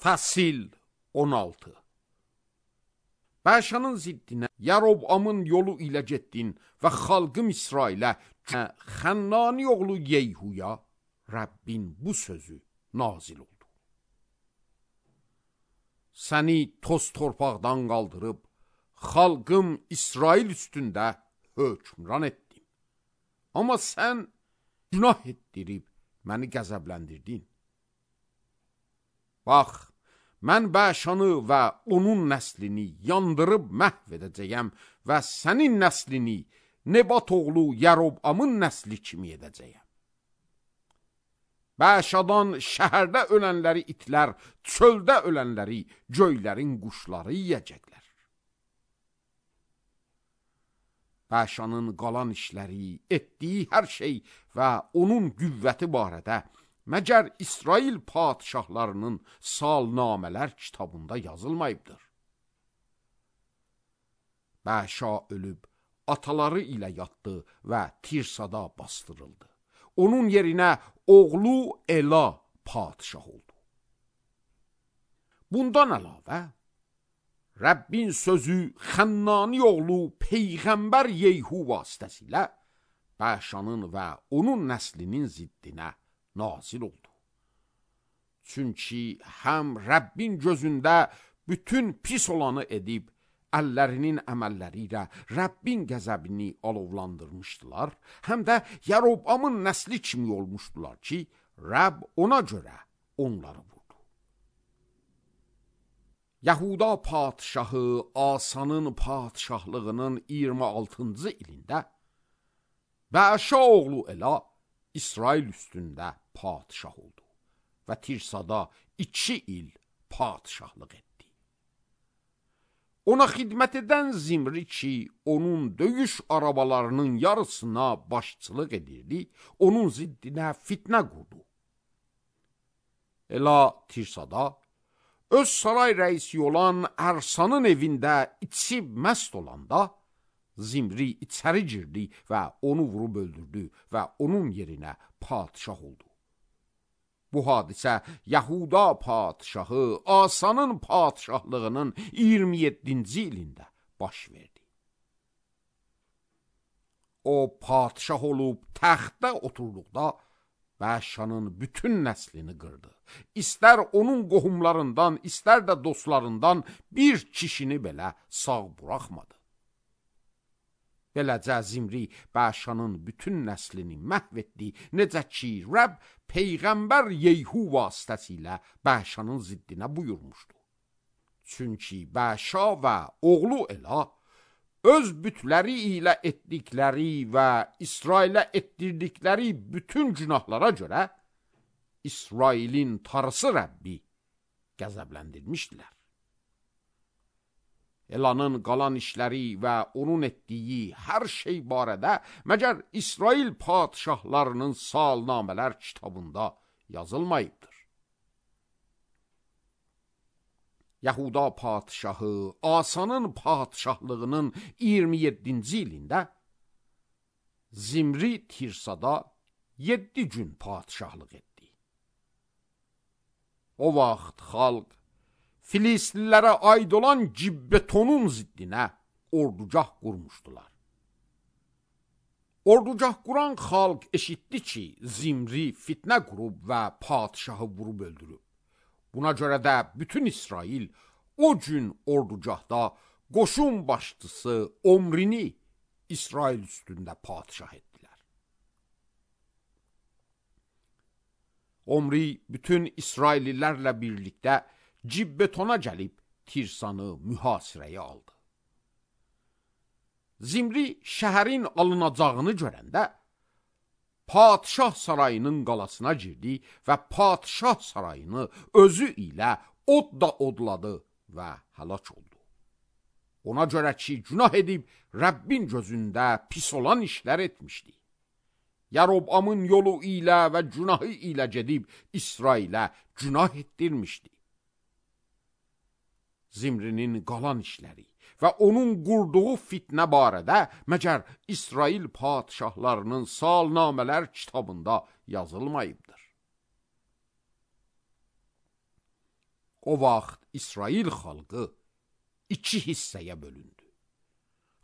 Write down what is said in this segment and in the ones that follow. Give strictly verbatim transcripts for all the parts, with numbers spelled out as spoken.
Fəsil on altı. Bəşanın ziddinə Yarobamın yolu ilə getdin və xalqım İsrailə Xənnani oğlu Yeyhuya Rəbbin bu sözü nazil oldu. Səni toz torpaqdan qaldırıb xalqım İsrail üstündə hökmran etdim. Amma sən günah etdirib məni qəzəbləndirdin. Bax, mən Bəşanı və onun nəslini yandırıb məhv edəcəyəm və sənin nəslini Nebat oğlu Yarobamın nəsli kimi edəcəyəm. Bəşadan şəhərdə ölənləri itlər, çöldə ölənləri göylərin quşları yiyəcəklər. Bəşanın qalan işləri, etdiyi hər şey və onun qüvvəti barədə məgər İsrail padişahlarının salnamələr kitabında yazılmayıbdır. Bəşa ölüb, ataları ilə yatdı və Tirsada bastırıldı. Onun yerinə oğlu Ela padişah oldu. Bundan əlavə, Rəbbin sözü Xənnani oğlu Peyğəmbər Yeyhu vasitəsilə Bəşanın və onun nəslinin ziddinə nazil oldu. Çünki həm Rəbbin gözündə bütün pis olanı edib, əllərinin əməlləri ilə Rəbbin qəzəbini alovlandırmışdılar, həm də Yarobamın nəsli kimi olmuşdular ki, Rəbb ona görə onları vurdu. Yahuda padişahı Asanın padişahlığının iyirmi altıncı ilində Bəşa oğlu Ela İsrail üstündə padişah oldu və Tirsada iki il padişahlıq etdi. Ona xidmət edən Zimri ki, onun döyüş arabalarının yarısına başçılıq edirdi, onun ziddinə fitnə qurdu. Ela Tirsada öz saray rəisi olan Ərsanın evində içib məst olanda, Zimri içəri girdi və onu vurub öldürdü və onun yerinə padişah oldu. Bu hadisə Yahuda padişahı Asanın padişahlığının iyirmi yeddinci ilində baş verdi. O padişah olub təxtdə oturduqda Bəşanın bütün nəslini qırdı. İstər onun qohumlarından, istər də dostlarından bir kişini belə sağ buraxmadı. Beləcə Zimri Bəşanın bütün nəslini məhv etdi, necə ki, Rəbb Peyğəmbər Yeyhu vasitəsilə Bəşanın ziddinə buyurmuşdu. Çünki Bəşa və oğlu Ela öz bütləri ilə etdikləri və İsrailə etdirdikləri bütün günahlara görə İsrailin tarısı Rəbbi qəzəbləndirmişdilər. Elanın qalan işləri və onun etdiyi hər şey barədə məgər İsrail padişahlarının salnamələr kitabında yazılmayıbdır. Yahuda padişahı Asanın padişahlığının iyirmi yeddinci ilində Zimri Tirsada yeddi gün padişahlıq etdi. O vaxt xalq Filistlilərə aid olan Gibbetonun ziddinə ordugah qurmuşdular. Ordugah quran xalq eşitdi ki, Zimri fitnə qurub və padişahı vurub öldürüb. Buna görə də bütün İsrail o gün ordugahda qoşun başçısı Omrini İsrail üstündə padişah etdilər. Omri bütün İsraillilərlə birlikdə Gibbetona gəlib Tirsanı mühasirəyə aldı. Zimri şəhərin alınacağını görəndə padişah sarayının qalasına girdi və padişah sarayını özü ilə odla odladı və həlak oldu. Ona görə ki, günah edib Rəbbin gözündə pis olan işlər etmişdi. Yarobamın yolu ilə və günahı ilə gedib İsrailə günah etdirmişdi. Zimrinin qalan işləri və onun qurduğu fitnə barədə məgər İsrail padişahlarının salnamələr kitabında yazılmayıbdır. O vaxt İsrail xalqı iki hissəyə bölündü.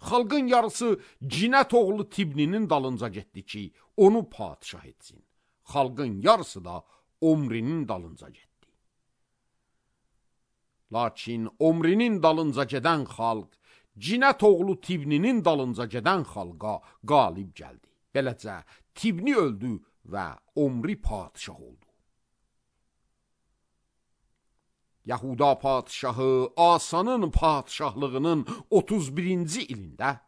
Xalqın yarısı Cinət oğlu Tibninin dalınca getdi ki, onu padişah etsin. Xalqın yarısı da Omrinin dalınca getdi. Lakin Omrinin dalınca gedən xalq, Cinət oğlu Tibninin dalınca gedən xalqa qalib gəldi. Beləcə, Tibni öldü və Omri padişah oldu. Yahuda padişahı Asanın padişahlığının otuz birinci ilində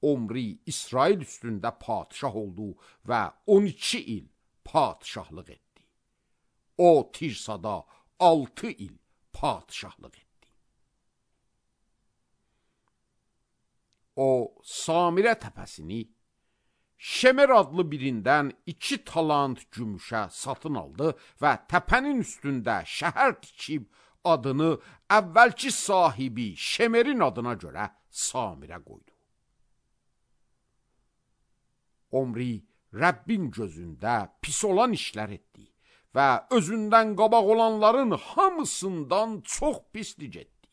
Omri İsrail üstündə padişah oldu və on iki il padişahlıq etdi. O Tirsada altı il padişahlıq etdi. O Samirə təpəsini Şemer adlı birindən iki talant gümüşə satın aldı və təpənin üstündə şəhər tikib adını əvvəlki sahibi Şemerin adına görə Samirə qoydu. Omri Rəbbin gözündə pis olan işlər etdi və özündən qabaq olanların hamısından çox pislik etdi.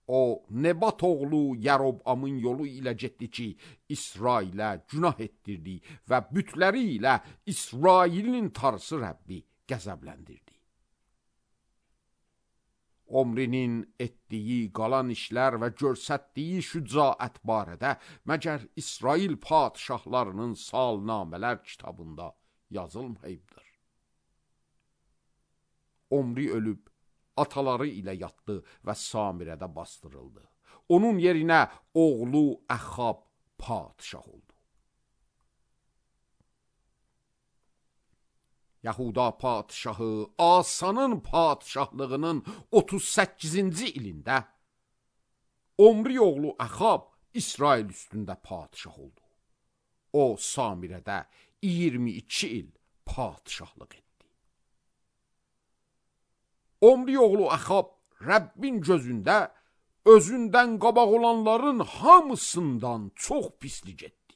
O, Nebat oğlu Yarobamın yolu ilə getdi ki, İsrailə günah etdirdi və bütləri ilə İsrailin tarısı Rəbbi qəzəbləndirdi. Omrinin etdiyi qalan işlər və görsətdiyi şücaət barədə məgər İsrail padişahlarının salnamələr kitabında yazılmayıbdır. Omri ölüb, ataları ilə yatdı və Samirədə bastırıldı. Onun yerinə oğlu Əxab padişah oldu. Yahuda padişahı Asanın padişahlığının otuz səkkizinci ilində Omri oğlu Əxab İsrail üstündə padişah oldu. O Samirədə iyirmi iki il padişahlıq etdi. Omri oğlu Əxab Rəbbin gözündə özündən qabaq olanların hamısından çox pislik etdi.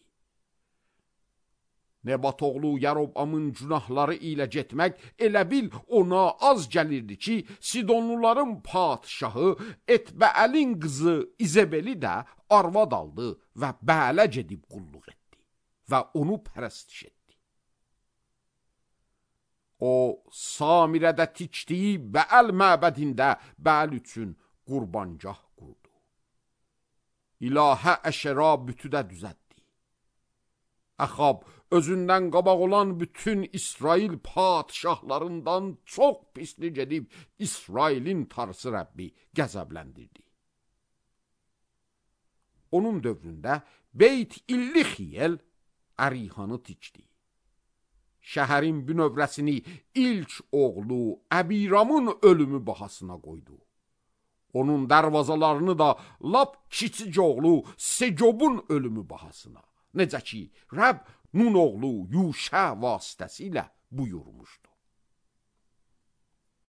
Nebat oğlu Yarobamın günahları ilə getmək elə bil ona az gəlirdi ki, Sidonluların padişahı Etbəəlin qızı İzebeli də arvad aldı və Bəələ gedib qulluq etdi və onu pərəstiş etdi. O, Samirədə tikdiyi Bəəl məbədində Bəəl üçün qurbangah qurdu. İlahə Əşera bütü də düzəltdi. Əxab özündən qabaq olan bütün İsrail padişahlarından çox pislik edib İsrailin tarısı Rəbbi qəzəbləndirdi. Onun dövründə Beyt İllixiyel Ərihanı tikdi. Şəhərin bünövrəsini ilk oğlu Əbiramın ölümü bahasına qoydu. Onun dərvazalarını da lap kiçik oğlu Segobun ölümü bahasına. Necə ki, Rəbb Nun oğlu Yuşə vasitəsilə buyurmuşdu.